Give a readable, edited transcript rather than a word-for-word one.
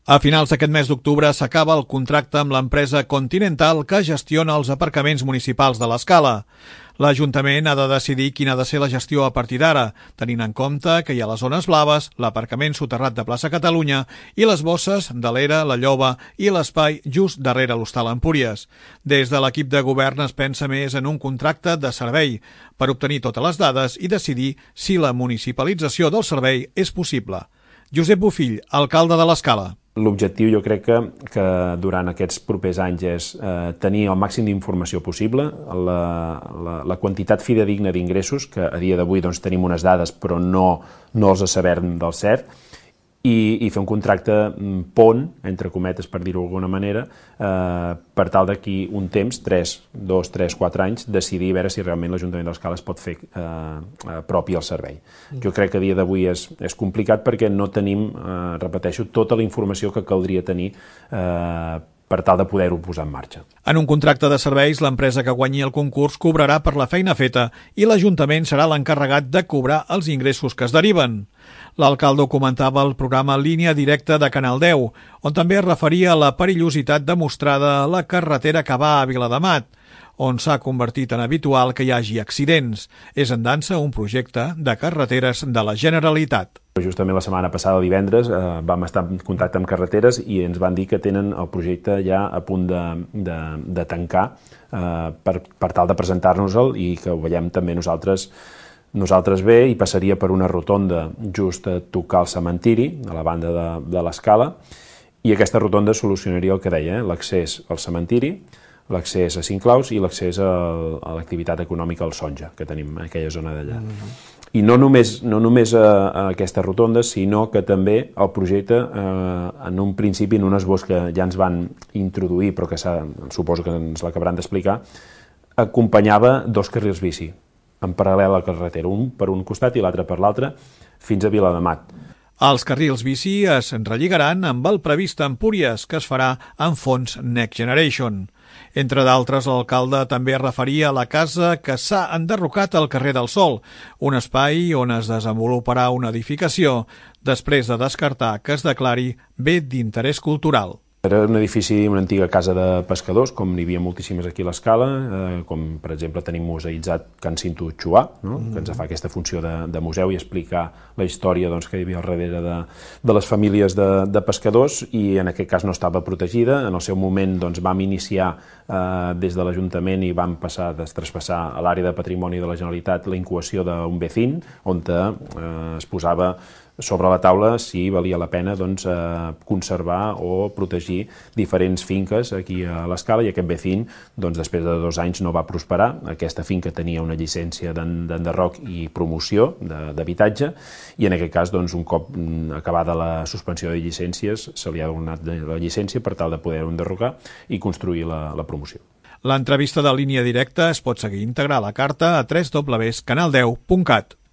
A finals d'aquest mes d'octubre s'acaba el contracte amb l'empresa Continental que gestiona els aparcaments municipals de l'Escala. L'Ajuntament ha de decidir quina ha de ser la gestió a partir d'ara, tenint en compte que hi ha les zones blaves, l'aparcament soterrat de Plaça Catalunya i les bosses de l'Era, la Lloba i l'espai just darrere l'Hostal Empúries. Des de l'equip de govern es pensa més en un contracte de servei per obtenir totes les dades i decidir si la municipalització del servei és possible. Josep Bofill, alcalde de l'Escala. L'objectiu jo crec que durant aquests propers anys és tenir el màxim d'informació possible, la quantitat fidedigna d'ingressos, que a dia d'avui tenim unes dades però no els sabem del cert, i fer un contracte pont, entre cometes per dir-ho d'alguna manera, per tal d'aquí un temps, 2, 3, 4 anys, decidir a veure si realment l'Ajuntament de l'Escala es pot fer propi el servei. Jo crec que a dia d'avui és complicat perquè no tenim, repeteixo, tota la informació que caldria tenir per tal de poder-ho posar en marxa. En un contracte de serveis, l'empresa que guanyi el concurs cobrarà per la feina feta i l'Ajuntament serà l'encarregat de cobrar els ingressos que es deriven. L'alcalde comentava el programa Línia Directa de Canal 10, on també es referia a la perillositat demostrada a la carretera que va a Viladamat, on s'ha convertit en habitual que hi hagi accidents. És en dansa un projecte de carreteres de la Generalitat. Justament la setmana passada, divendres, vam estar en contacte amb Carreteres i ens van dir que tenen el projecte ja a punt de tancar per tal de presentar-nos-el i que ho veiem també nosaltres bé, i passaria per una rotonda just a tocar el cementiri, a la banda de l'Escala, i aquesta rotonda solucionaria el que deia, l'accés al cementiri, l'accés a Cinclaus i l'accés a l'activitat econòmica al Sonja, que tenim en aquella zona d'allà. I no només a aquesta rotonda, sinó que també el projecte, en un principi, en un esbós que ja ens van introduir, però que suposo que ens l'acabaran d'explicar, acompanyava 2 carrils bici, en paral·lel a la carretera, un per un costat i l'altre per l'altre, fins a Viladamat. Els carrils bici es relligaran amb el previst a Empúries, que es farà amb fons Next Generation. Entre d'altres, l'alcalde també es referia a la casa que s'ha enderrocat al carrer del Sol, un espai on es desenvoluparà una edificació, després de descartar que es declari bé d'interès cultural. Era un edifici, una antiga casa de pescadors, com n'hi havia moltíssimes aquí a l'Escala, com per exemple tenim museïtzat Can Cinto Xuà, que ens fa aquesta funció de museu i explicar la història que hi havia al darrere de les famílies de pescadors, i en aquest cas no estava protegida. En el seu moment vam iniciar des de l'Ajuntament i vam traspassar a l'àrea de patrimoni de la Generalitat la incoació d'un vecín, on es posava sobre la taula si valia la pena conservar o protegir diferents finques aquí a l'Escala, i aquest vecín, després de 2 anys, no va prosperar. Aquesta finca tenia una llicència d'enderroc i promoció d'habitatge, i en aquest cas, un cop acabada la suspensió de llicències, se li ha donat la llicència per tal de poder enderrocar i construir la promoció. L'entrevista de Línia Directa es pot seguir íntegra a la carta a www.canal10.cat.